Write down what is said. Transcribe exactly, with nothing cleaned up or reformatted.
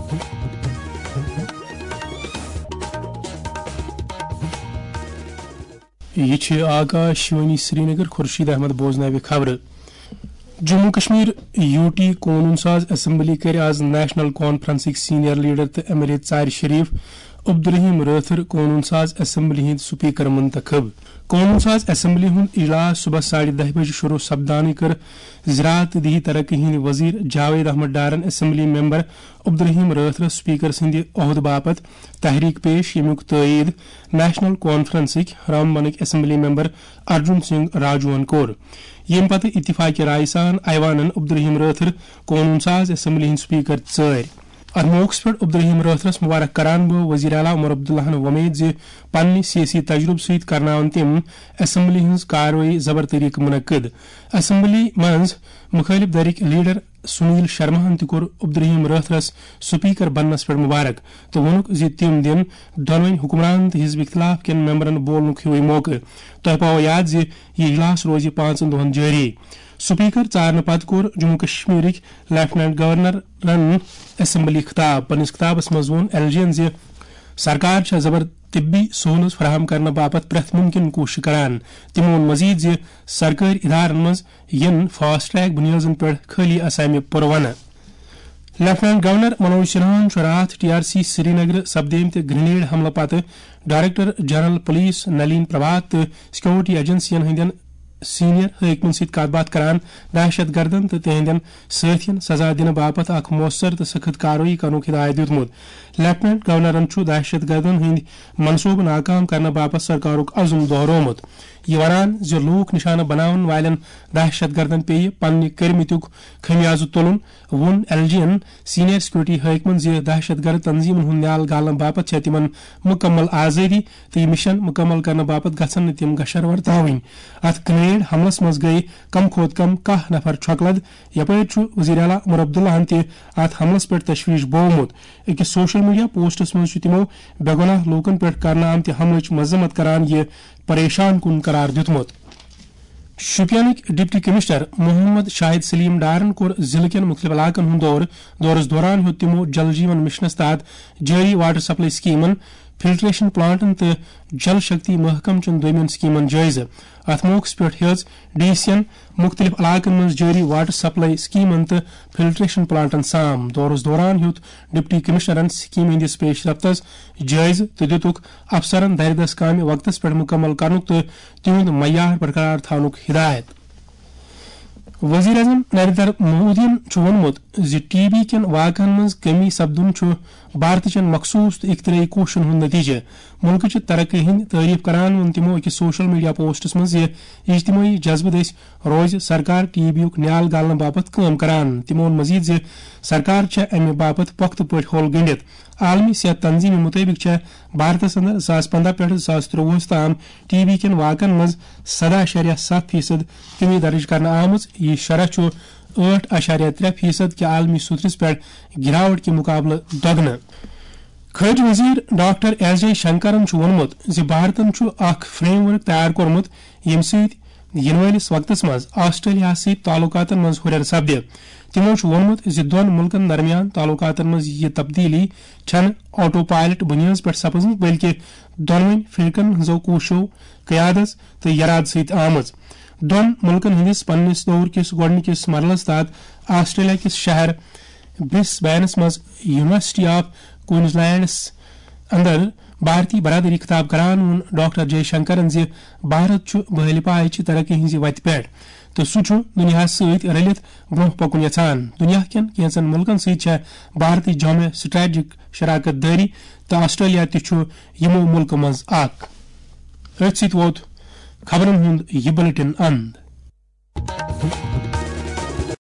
یہِ چھِ آکاش وانی سرینگر۔ خورشید احمد بوزناوِ خبرٕ۔ جموں کشمیر یو ٹی قونون ساز اسمبلی کَرِ آز نیشنل کانفرنسٕکۍ سینئر لیڈر تہٕ ایم ایل اے ژارِ شریف عبدالرحیم رٲتھٕر قونون ساز اسمبلی ہٕنٛدۍ سپیکر منتخب۔ قونون ساز اسمبلی ہُنٛد اجلاس صبحس ساڑِ دَہہِ بجہِ شروع سپدانٕے کٔر زراعت تہٕ دیہی ترقی ہٕنٛدۍ وزیر جاوید احمد ڈارن اسمبلی ممبر عبدالرحیم رٲتھرس سپیکر سٕنٛدِ عہدٕ باپتھ تحریک پیش، ییٚمیُک تٲیید نیشنل کانفرنسٕکۍ رامبنٕکۍ اسمبلی ممبر ارجن سنگھ راجوہن کوٚر۔ ییٚمہِ پتہٕ اتفاق رائے سان ایوانن عبدالرحیم رٲتھر قونون ساز اسمبلی ہٕنٛدۍ سپیکر ژٲرۍ۔ اتھ موقعس پٮ۪ٹھ عبدالرحیم رٲتھرس مبارک کران بہٕ وزیر اعلیٰ عمر عبداللہن وۄمید زِ پننہِ سیٲسی تجربہٕ سۭتۍ کرناون تِم اسمبلی ہٕنٛز کاروٲیی زبر طریقہٕ منعقد۔ اسمبلی منٛز مخٲلف دھرٕکۍ لیڈر سنیل شرماہن تہِ کوٚر عبدالرحیم رٲتھرس سپیکر بننس پٮ۪ٹھ مبارک تہٕ ووٚنُکھ زِ تِم دِن دۄنوٕنۍ حکمران تہٕ حزب اختلاف کٮ۪ن ممبرن بولنُک ہیوٗے موقعہٕ۔ تۄہہِ پاوو یاد زِ یہِ اجلاس روزِ پانٛژن دۄہن جٲری۔ سپیکر ژارنہٕ پتہٕ کوٚر جموں کشمیرٕکۍ لیفٹیننٹ گورنرن اسمبلی خطاب۔ پننِس خطابس منٛز ووٚن ایل جی ین زِ سرکار چھےٚ زبر طبی سہوٗلژ فراہم کرنہٕ باپتھ پرٛٮ۪تھ مُمکِن کوٗشش کران۔ تٔمۍ ووٚن مزید زِ سرکٲرۍ ادارن منٛز یِن فاسٹ ٹریک بُنیادن پٮ۪ٹھ خٲلی اسامہِ پُرونہٕ۔ لیفٹیننٹ گورنر منوج سنہاہن چھُ راتھ ٹی آر سی سرینگر سپدیمتہِ گرینیڈ حملہٕ پتہٕ director general police Nalin Prabhat تہٕ سیکورٹی ایجنسین ہٕنٛدٮ۪ن سینئر حٲکمن سۭتۍ کتھ باتھ کران دہشت گردن تہٕ تِہنٛدٮ۪ن سٲتھین سزا دِنہٕ باپتھ اکھ مؤثر تہٕ سخت کاروٲیی کرنُک ہدایت دیُتمُت۔ لیفٹیننٹ گورنرن چھُ دہشت گردن ہٕنٛدۍ منصوبہٕ ناکام کرنہٕ باپتھ سرکارُک عزم دۄہرومُت، یہِ ونان زِ لوٗکھ نشانہٕ بناون والٮ۪ن دہشت گردن پیٚیہِ پننہِ کٔرمٕتیُک خمیازٕ تُلُن۔ ووٚن ایل جی ین سینئر سیکورٹی حٲکمن زِ دہشت گرد تنظیمن ہُنٛد نیال گالنہٕ باپتھ چھےٚ تِمن مُکمل آزٲدی تہٕ یہِ مِشن مُکمل کرنہٕ باپتھ گژھن نہٕ تِم گشر ورتاوٕنۍ۔ اتھ گرینیڈ حملس منٛز گٔیہِ کم کھۄتہٕ کم کاہ نفر چھۄکہٕ لد۔ یپٲرۍ چھُ وزیر اعلیٰ عمر عبداللہن تہِ اتھ حملس پٮ۪ٹھ تشویش بوومُت۔ أکِس سوشل میڈیا پوسٹس منٛز چھُ تِمو بے گۄناہ لوٗکن پٮ۪ٹھ کرنہٕ آمتہِ حملٕچ مذمت کران یہِ پریشان کُن قرار دیُتمُت۔ شوپینٕکۍ ڈپٹی کمشنر محمد شاہد سلیم ڈارن کوٚر ضلعہٕ کٮ۪ن مُختٔلِف علاقن ہُنٛد دورٕ۔ دورس دوران ہیوٚت تِمو جل جیون مشنس تحت جٲری واٹر سپلائی سکیمن، فلٹریشن پلانٹن تہٕ جل شکتی محکمہٕ چٮ۪ن دوٚیمٮ۪ن سکیمن جٲیزٕ۔ اتھ موقعس پٮ۪ٹھ ہیٚژ ڈی سین مُختٔلِف علاقن منٛز جٲری واٹر سپلائی سکیمن تہٕ فلٹریشن پلانٹن سام۔ دورس دوران ہیوٚت ڈپٹی کمشنرن سکیمہِ ہٕنٛدِس پیش رفتس جٲیزٕ تہٕ دِتُکھ افسرن دردس کامہِ وقتس پٮ۪ٹھ مُکمل کرنُک تہٕ تِہُنٛد معیار برقرار تھاونُک ہدایت۔ وزیر اعظم نریندر مودیَن چھُ ووٚنمُت زِ ٹی بی کٮ۪ن واقعن منٛز کمی سپدُن چھُ بھارتٕچٮ۪ن مخصوٗص تہٕ اختراعی کوٗششن ہُنٛد نتیجہٕ۔ مُلکٕچہِ ترقی ہٕنٛدۍ تعریف کران ووٚن تِمو أکِس سوشل میڈیا پوسٹس منٛز زِ اجتمٲعی جذبہٕ دٔسۍ روزِ سرکار ٹی بی یُک نیال گالنہٕ باپتھ کٲم کران۔ تِمو ووٚن مزید زِ سرکار چھےٚ امہِ باپتھ پۄختہٕ پٲٹھۍ ہول گٔنڈِتھ۔ عالمی صحت تنظیمہِ مُطٲبِق چھےٚ بھارتس اندر زٕ ساس پنداہ پٮ۪ٹھ زٕ ساس ترٛۆوُہس تام ٹی بی کٮ۪ن واقعن منٛز سداہ اعشاریہ ستھ فیصد کمی درج کرنہٕ آمٕژ۔ یہِ شرح چھُ ٲٹھ اعشاریہ ترٛےٚ فیصد کہِ عالمی سطحس پٮ۪ٹھ گراوٹ کہِ مقابلہٕ دۄگنہٕ۔ خارجہ وزیر ڈاکٹر ایس جے شنکرن چھُ ووٚنمُت زِ بھارتن چھُ اکھ فریم ورک تیار کوٚرمُت، ییٚمہِ سۭتۍ یِنہٕ وٲلِس وقتس منٛز آسٹریلیا سۭتۍ تعلقاتن منٛز ہُرٮ۪ر سپدِ۔ تِمو چھُ ووٚنمُت زِ دۄن مُلکن درمیان تعلقاتن منٛز یہِ تبدیلی چھنہٕ آٹو پائلٹ بُنیٲدس پٮ۪ٹھ سپٕزمٕژ، بلکہِ دۄنوٕنی فرقن ہٕنٛزو کوٗششو، قیادس تہٕ یرادٕ سۭتۍ آمٕژ۔ دۄن مُلکن ہٕنٛدِس پننِس دور کِس گۄڈٕنِکِس مرحلس تحت آسٹریلیا کِس شہر برس بینس منٛز یونیورسٹی آف کوئنزلینڈس اندر بھارتی برادری خطاب کران ووٚن ڈاکٹر جے شنکرن زِ بھارت چھُ بحالِ پایچہِ ترقی ہٕنٛزِ وتہِ پٮ۪ٹھ تہٕ سُہ چھُ دُنیاہَس سۭتۍ رٔلِتھ برٛونٛہہ پکُن یژھان۔ دُنیا کٮ۪ن کینٛژن مُلکن سۭتۍ چھےٚ بھارتٕچ جامع سٹریٹجک شراکت دٲری تہٕ آسٹریلیا تہِ چھُ یِمو مُلکو منٛز اکھ۔ أتھۍ سۭتۍ ووت خبرن ہُنٛد یہِ بلیٹن اند۔